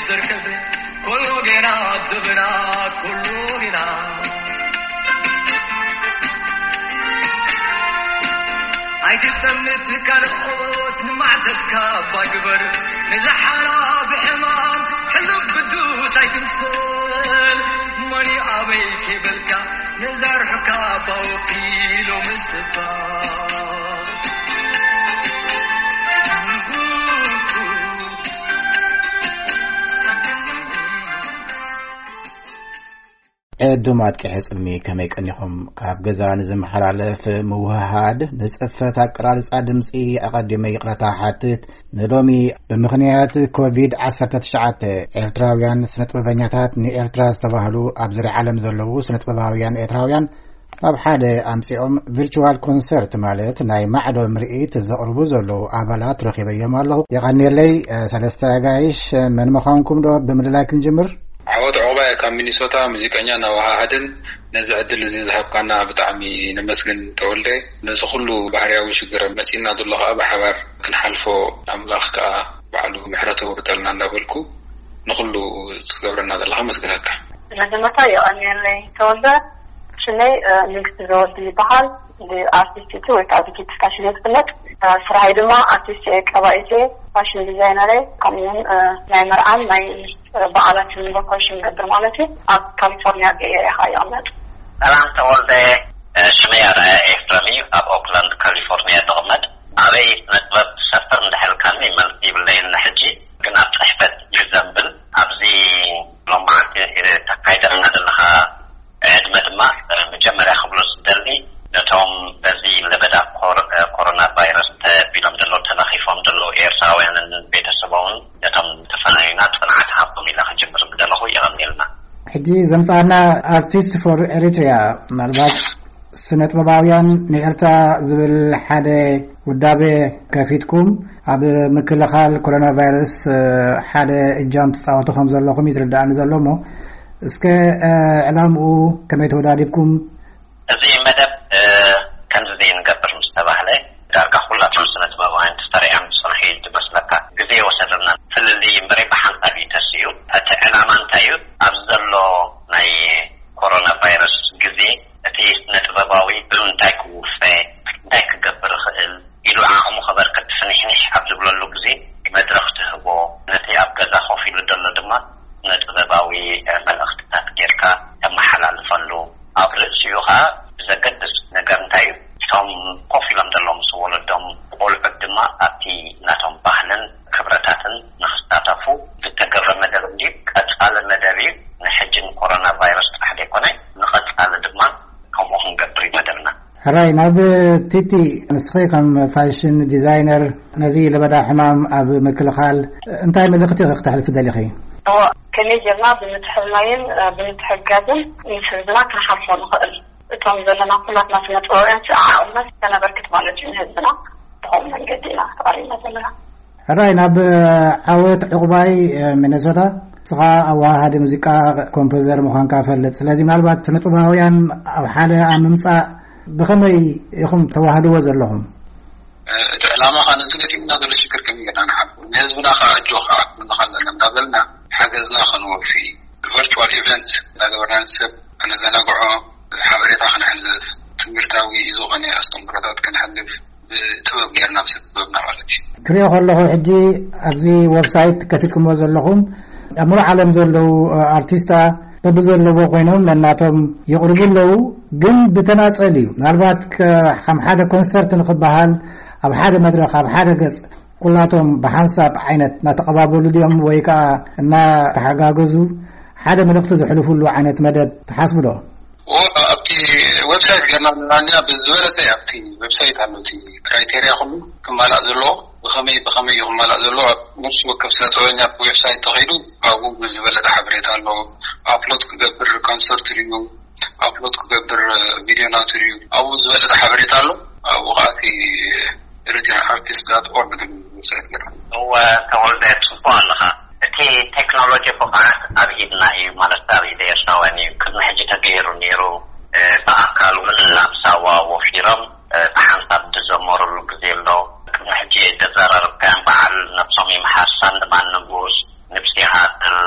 ዝርከብ ኩሉ ጌና፣ ኣድብና ኩሉ ጌና። ኣይትጠምት ካልኦት፣ ንማዕተብካ እባ ግበር። ንዝሓላፍ ሕማም ሕሉፍ ቅዱስ ኣይትምሰል። መን እዩ ኣበይ ከይበልካ፣ ነዛ ርሑካ እባ ወፊ ሎምስ እባ። ዕዱም ኣጥቂሐ ጽልሚ ከመይ ቀኒኹም? ካብ ገዛ ንዝመሓላለፍ ምውህሃድ፣ ንጽፈት ኣቀራርጻ ድምጺ ኣቐዲመ ይቕረታ ሓትት። ንሎሚ ብምኽንያት ኮቪድ ዓሰርተ ትሽዓተ ኤርትራውያን ስነጥበበኛታት ንኤርትራ ዝተባህሉ ኣብ ዙርያ ዓለም ዘለዉ ስነጥበባውያን ኤርትራውያን ኣብ ሓደ ኣምጺኦም ቪርቹዋል ኮንሰርት ማለት ናይ ማዕዶ ምርኢት ዘቕርቡ ዘለዉ ኣባላት ረኺበዮም ኣለኹ። የቐንየለይ፣ እ፣ ሰለስተ ኣጋይሽ፣ እ፣ መን ምዃንኩም ዶ ብምልላይ ክንጅምር? ዓወት ዑቕባይ ካብ ሚኒሶታ፣ ሙዚቀኛን ኣወሃሃድን። ነዚ ዕድል እዚ ዝሃብካና ብጣዕሚ ነመስግን ተወልደ። ነዚ ኩሉ ባህርያዊ ሽግር መጺእና ዘሎ ከኣ ብሓባር ክንሓልፎ ኣምላኽ ከኣ ባዕሉ ምሕረቱ የውርደልና እንዳበልኩ ንኹሉ ዝገብረና ዘለኻ መስግነካ። መጀመርታ የቐንየለይ ተወልደ። ሽመይ፣ እ፣ ንግስቲ ዘወዲ ይበሃል። ብኣርቲስት ወይ ከዓ ብኪድ ፋሽን እየ ዝፍለጥ። እ፣ ስራሐይ ድማ ኣርቲስት እየ፣ ቀባኢት እየ፣ ፋሽን ዲዛይነር እየ። ከምኡውን፣ እ፣ ናይ መርዓን ናይ፣ እ፣ በዓላትን ዲኮሬሽን ይገብር ማለት እዩ። ኣብ ካሊፎርኒያ ቤይ ኤርያ ከዓ ይቕመጥ። ሰላም ተወልደ፣ እ፣ ሽመይ ኣርኣያ ኤፍረም እዩ። ኣብ ኦክላንድ ካሊፎርኒያ ዝቕመጥ። ኣበይ ስነ ጥበብ ትሰፍር እንድሕልካኒ መልሲ ይብለይን ንሕጂ፣ ግን ኣብ ጽሕፈት እዩ ዘንብል። ኣብዚ ሎማዓንቲ ተካይደልና ዘለኻ ዕድመ ድማ፣ እ፣ መጀመርያ ክብሎ ዝደሊ፣ ነቶም በዚ ለበዳ ኮር-፣ እ፣ ኮሮና ቫይረስ ተቢሎም ዘለዉ፣ ተለኺፎም ዘለዉ ኤርትራውያንን ቤተሰቦምን፣ ነቶም ተፈናዩና ጽንዓት ሃቦም ኢለ ክጅምር ምደለኹ። የቐንየልና። ሕጂ ዘምጻና ኣርቲስት ፎር ኤሪትሪያ፣ ምናልባት ስነ ጥበባውያን ንኤርትራ ዝብል ሓደ ውዳቤ ከፊትኩም ኣብ ምክልኻል ኮሮና ቫይረስ፣ እ፣ ሓደ እጃም ትጻወቱ ከም ዘለኹም እዩ ዝርዳእኒ ዘሎ። እሞ እስከ፣ እ፣ ዕላምኡ ከመይ ተወዳዲብኩም? እዚ መደብ፣ እ፣ ከምዚ ዘይንገብር ምስ ተባህለ፣ ዳርጋ ኩላቶም ስነ ጥበባውያን ተሰሪዖም ዝጸንሑ እዩ ዝመስለካ። ግዜ ይወሰደልና። ፍልልይ እምበረይ ብሓንሳብ እዩ ተስኡ። እቲ ዕላማ እንታይ እዩ? ኣብዚ ዘሎ ናይ ኮሮና ቫይረስ ግዜ፣ እቲ ስነ ጥበባዊ ብምንታይ ክውፈ፣ እንታይ ክገብር ይኽእል ኢሉ ዓቕሙ ከበርክት ፍንሕንሕ ኣብ ዝብለሉ ግዜ፣ መድረኽ ትህቦ፣ ነቲ ኣብ ገዛ ኮፍ ኢሉ ዘሎ ድማ ስነ ጥበባዊ፣ እ፣ መልእኽትታት ጌርካ ተመሓላልፈሉ። ኣብ ርእሲኡ ኸኣ ብዘገድስ ነገር እንታይ እዩ? እቶም ኮፍ ኢሎም ዘለዉ ምስ ወለዶም፣ ቆልዑት ድማ ኣብቲ ናቶም ባህልን ክብረታትን ንኽሳተፉ ዝተገብረ መደብ እንድዩ። ቀጻሊ መደብ እዩ። ንሕጂ ንኮሮና ቫይረስ ጥራሕ ዘይኮነ፣ ንቐጻሊ ድማ ከምኡ ክንገብር እዩ መደብና። ሕራይ፣ ናብ ቲቲ፣ ንስኺ ከም ፋሽን ዲዛይነር ነዚ ለበዳ ሕማም ኣብ ምክልኻል እንታይ መልእኽቲ ኢኺ ክተሕልፊ ደሊኺ? እወ፣ ከመይ ጌርና ብምትሕልላይን፣ እ፣ ብምትሕግጋዝን ምስ ህዝብና ክንሓልፎ ንኽእል? እቶም ዘለና ኩላትና ስነ ጥበባውያን ዓቕምና ከነበርክት ማለት እዩ ንህዝብና። ብኸምኡ መንገዲ ኢና ተቐሪብና ዘለና። ሕራይ፣ ናብ ዓወት ዕቑባይ፣ እ፣ ሚነሶታ። ንስኻ ኣወሃሃዲ ሙዚቃ፣ ኮምፖዘር ምዃንካ እፈልጥ። ስለዚ ምናልባት ስነ ጥበባውያን ኣብ ሓደ ኣብ ምምጻእ ብኸመይ ኢኹም ተዋህድዎ ዘለኹም? እ፣ እቲ ዕላማ ኸኣ ነቲ ገጢሙና ዘሎ ሽግር ከመይ ጌርና ንሓልፎ፣ ንህዝብና ኸኣ ኣጆኻ ክንብል ኣለና እንዳበልና ሓገዝና ከንወፊ፣ ቨርቹዋል ኢቨንት እንዳገበርና ንሰብ ከነዘናግዖ፣ ሓበሬታ ከነሕልፍ፣ ትምህርታዊ ዝኾነ ኣስተምህሮታት ከነሕልፍ፣ ብጥበብ ጌርና፣ ምስ ጥበብና ማለት እዩ። ክሪኦ ከለኹ ሕጂ ኣብዚ ዌብሳይት ከፊትኩምዎ ዘለኹም፣ ኣብ ሙሉእ ዓለም ዘለዉ፣ እ፣ ኣርቲስታ በብዘለዎ ኮይኖም ነናቶም የቕርቡ ኣለዉ፣ ግን ብተናጸል እዩ። ምናልባት ከ-፣ ከም ሓደ ኮንሰርት ንኽበሃል፣ ኣብ ሓደ መድረኽ፣ ኣብ ሓደ ገጽ፣ ኩላቶም ብሓንሳብ ዓይነት እናተቐባበሉ ድዮም ወይ ከኣ እናተሓጋገዙ ሓደ መልእኽቲ ዘሕልፉሉ ዓይነት መደብ ትሓስቡ ዶ? ኦ፣ ኣብቲ ዌብሳይት ገርና ንላንያ ብዝበለጸ ኣብቲ ዌብሳይት ኣሎ፣ እቲ ክራይቴርያ ኩሉ ክማላእ ዘለዎ፣ ብኸመይ፣ ብኸመይ እዩ ክማላእ ዘለዎ? ኣብ ነፍሲ ወከፍ ስነ ጥበበኛ ዌብሳይት ተኸይዱ ኣብኡ ብዝበለጸ ሓበሬታ ኣሎ። ኣፕሎድ ክገብር ኮንሰርት ድዩ፣ ኣፕሎድ ክገብር ቪድዮ ናቱ ድዩ፣ ኣብኡ ዝበለጸ ሓበሬታ ኣሎ። ኣብኡ ኸኣ እቲ ኤሪትሪያን ኣርቲስት ዳት ኦርግ ዝብል ዌብሳይት ገርና። እወ፣ ተወልደ፣ ጽቡቕ ኣለኻ። እቲ ቴክኖሎጂ ብቕዓት ኣብ ኢድና እዩ፣ ማለት ኣብ ኢድ ኤርትራውያን እዩ። ቅድሚ ሕጂ ተገይሩ ነይሩ። እ፣ ብኣካል እውን ናብ ሳዋ ወፊሮም፣ እ፣ ብሓንሳብ ዝዘመሩሉ ግዜ ኣሎ። ቅድሚ ሕጂ ዘዘራረብካዮም በዓል ነብሶም ይምሓር፣ ሳንድማን ንጉስ፣ ንብሲ ሃጥል፣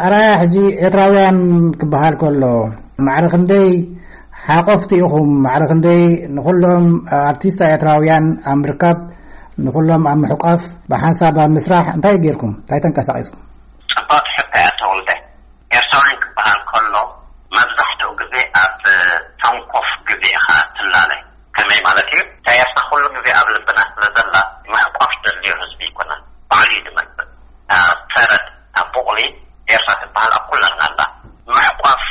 ኣራያ ሕጂ ኤርትራውያን ክበሃል ከሎ፣ ማዕረ ክንደይ ሓቆፍቲ ኢኹም? ማዕረ ክንደይ ንኹሎም ኣርቲስት ኤርትራውያን ኣብ ምርካብ፣ ንኹሎም ኣብ ምሕቋፍ፣ ብሓንሳብ ኣብ ምስራሕ እንታይ ጌርኩም? እንታይ ተንቀሳቒስኩም? ጽብቕቲ ሕቶ እያ ተወልደ። ኤርትራውያን ክበሃል ከሎ፣ መብዛሕትኡ ግዜ ኣብ ሰንኮፍ ግዜ ኢኻ ትላለ። ከመይ ማለት እዩ? እታ ኤርትራ ኩሉ ግዜ ኣብ ልብና ስለ ዘላ፣ ምሕቋፍ ደልዮ ህዝቢ ይኮነን። ባዕሉ እዩ ዝመጽእ። እታ ሰረት፣ እታ ቡቕሊ ኤርትራ ትበሃል ኣብ ኩላትና ኣላ። ምሕቋፍ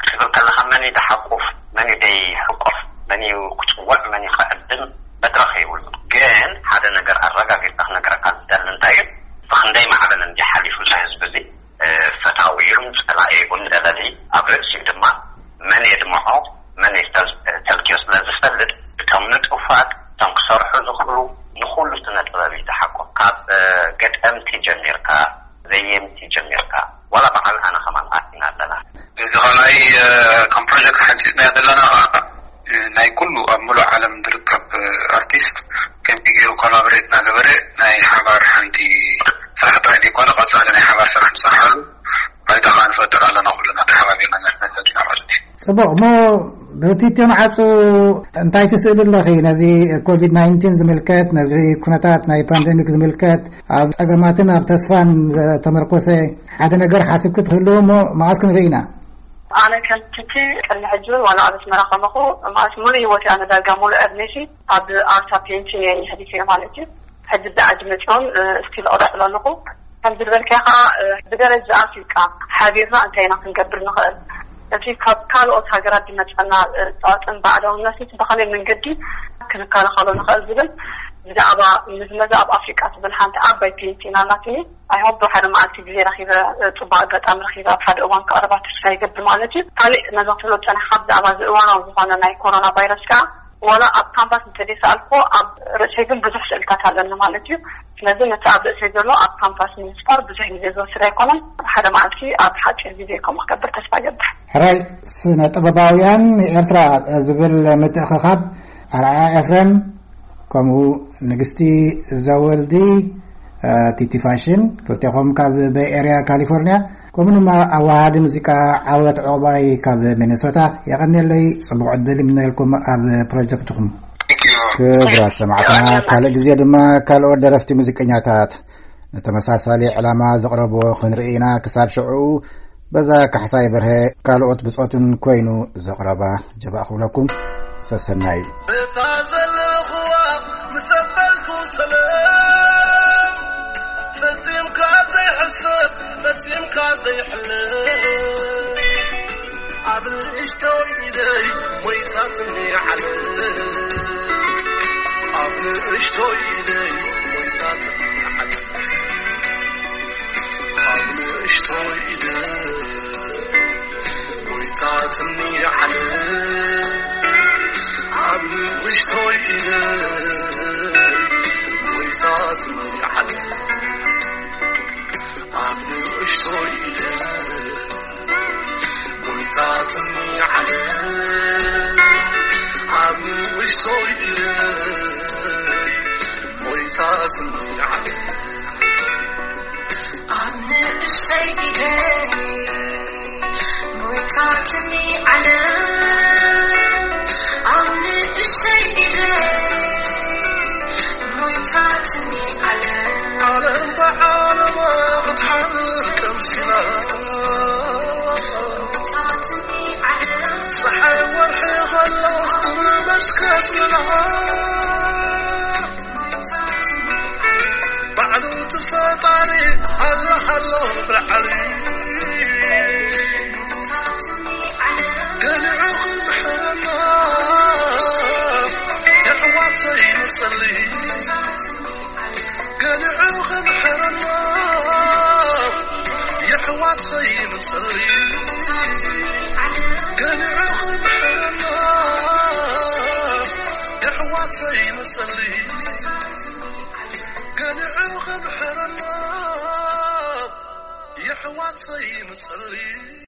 ክትብል ከለኻ፣ መን እዩ ዝሓቁፍ፣ መን እዩ ዘይሕቆፍ፣ መን እዩ ክጽውዕ፣ መን እዩ ክዕድም መድረኽ የብሉን። ግን ሓደ ነገር ኣረጋጊጽካ ክነግረካ ዝደሊ እንታይ እዩ? ብኽንደይ ማዕበል እንዲ ሓሊፉ እዚ ህዝቢ እዚ፣ እ፣ ፈታዊ ይኹን ጸላኢ ይኹን ደለሊ፣ ኣብ ርእሲኡ ድማ መን የድምዖ፣ መን የስተል-፣ ተልክዮ ስለ ዝፈልጥ፣ እቶም ንጡፋት፣ እቶም ክሰርሑ ዝኽእሉ፣ ንኹሉ ስነ ጥበብ እዩ ዝሓቁፍ። ካብ፣ እ፣ ገጠምቲ ጀሚርካ፣ ዘየምቲ ጀሚርካ፣ ዋላ በዓል ኣነ ከማን ኣቲና ኣለና። እዚ ካልኣይ፣ እ፣ ከም ፕሮጀክት ሓንጺጽናዮ ዘለና ኸኣ፣ እ፣ ናይ ኩሉ ኣብ ምሉእ ዓለም ዝርከብ፣ እ፣ ኣርቲስት ከመይ ገይሩ ኮላቦሬት እናገበረ ናይ ሓባር ሓንቲ ስራሕ ጥራይ ዘይኮነ፣ ቀጻሊ ናይ ሓባር ስራሕ ንሰርሓሉ ባይታ ኸኣ ንፈጥር ኣለና፣ ኩልና ተሓባቢርና ንሕነተና ማለት እዩ። ጽቡቕ። እሞ ብቲትዮ መዓጹ እንታይ ትስእሊ ኣለኺ? ነዚ ኮቪድ ናይንቲን ዝምልከት፣ ነዚ ኩነታት ናይ ፓንደሚክ ዝምልከት፣ ኣብ ጸገማትን ኣብ ተስፋን ዝተመርኮሰ ሓደ ነገር ሓስብኪ ትህልው እሞ መዓስ ክንርኢ ኢና? ኣነ ከም ትቲ ቅድሚ ሕጂ እውን ዋላ ኣብ ኣስመራ ከለኹ፣ ማለት ሙሉእ ህይወት ኣነ ዳርጋ ሙሉእ ዕድሜሲ ኣብ ኣርታ ፔንቲን እየ ሕሊፈ ማለት እዩ። ሕጂ ዳኣ መፅኦም፣ እ፣ እስቲል እቐፅሎ ኣለኹ። ከምዚ ዝበልካዮ ከዓ፣ እ፣ ብደረጃ ኣፍሪቃ ሓቢርና እንታይ ኢና ክንገብር ንኽእል? እቲ ካብ ካልኦት ሃገራት ዝመፀና፣ እ፣ ፀዋፅን ባዕዳውነት ብኸመይ መንገዲ ክንከላኸሎ ንኽእል ዝብል ብዛዕባ ምዝመዛ ኣብ ኣፍሪቃ ትብል ሓንቲ ዓባይ ፔንቲን ኣላትኒ። ኣይሆፕ ሓደ መዓልቲ ግዜ ረኺበ፣ እ፣ ጽቡቕ ኣጋጣሚ ረኺበ ኣብ ሓደ እዋን ክቐርባ ተስፋ ይገብር ማለት እዩ። ካሊእ ነዛ ትብሎ ዝጸናሕካ ብዛዕባ እዚ እዋናዊ ዝኾነ ናይ ኮሮና ቫይረስ ከኣ፣ ዋላ ኣብ ካንቫስ እንተዘይሰኣልኩዎ፣ ኣብ ርእሰይ ግን ብዙሕ ስእልታት ኣለኒ ማለት እዩ። ስለዚ ነቲ ኣብ ርእሰይ ዘሎ ኣብ ካንቫስ ንምስፋር ብዙሕ ግዜ ዝወስድ ኣይኮነን። ሓደ መዓልቲ ኣብ ሓጺር ግዜ ከምኡ ክገብር ተስፋ ይገብር። ሕራይ፣ ስነ ጥበባውያን ኤርትራ ዝብል ምትእኽኻብ ኣርኣያ ኤፍሬም፣ ከምኡ ንግስቲ ዘወልዲ፣ እ፣ ቲቲ ፋሽን፣ ክልቴኹም ካብ ቤይ ኤርያ ካሊፎርንያ፣ ከምኡ ድማ ኣወሃሃዲ ሙዚቃ ዓወት ዑቕባይ ካብ ሚነሶታ፣ የቐንየለይ፣ ጽቡቕ ዕድል ይምነየልኩም ኣብ ፕሮጀክትኹም። Thank you። ክቡራት ሰማዕትና፣ የቐንየልና። ካልእ ግዜ ድማ ካልኦት ደረፍቲ ሙዚቀኛታት ንተመሳሳሊ ዕላማ ዘቕረብዎ ክንርኢ ኢና። ክሳብ ሽዑ፣ በዛ ካሕሳይ በርሀ ካልኦት ብጾቱን ኮይኑ ዘቕረባ ጀባእ ክብለኩም። ሰሰናዩ። እታ ዘለኹዋ ምስ ኣበልኩ ሰላም፣ ፈጺምካ ዘይሕሰብ፣ ፈጺምካ ዘይሕለፍ፣ ኣብ ንእሽቶይ ኢደይ ሞይታትኒ ዓለም፣ ኣብ ንእሽቶይ ኢደይ ሞይታትኒ ዓለም። ኣብ ንእሽቶይ ኢደይ ሞይታትኒ ዓለም፣ ኣብ ንእሽቶይ ኢደይ ሞይታትኒ ዓለም፣ ኣብ ንእሽቶይ ኢደይ ሞይታትኒ ዓለም፣ ኣብ ንእሽቶይ ኢደይ ሞይታትኒ ዓለም። ኣብ ንእሽተይ ኢደይ ሞይታትኒ ዓለም፣ ኣብ ንእሽተይ ኢደይ ሞይታትኒ ዓለም። ዓለም ብዓለማ ክትሓልፍ ቀምሲላ፣ ሞይታትኒ ዓለም። ፀሓይ ወርሒ ኸሎ ክትመስ ከትላ። ባዕሉ እቲ ፈጣሪ ኣለ ኣሎ ብላዕሊ፣ ገሊዑ ክምሕረና የሕዋተይ ንጸሊ፣ ገሊዑ ክምሕረና የሕዋተይ ንጸሊ፣ ገሊዑ ክምሕረና የሕዋተይ ንጸሊ። ገሊዑ ክምሕረና የሕዋተይ ንጸሊ።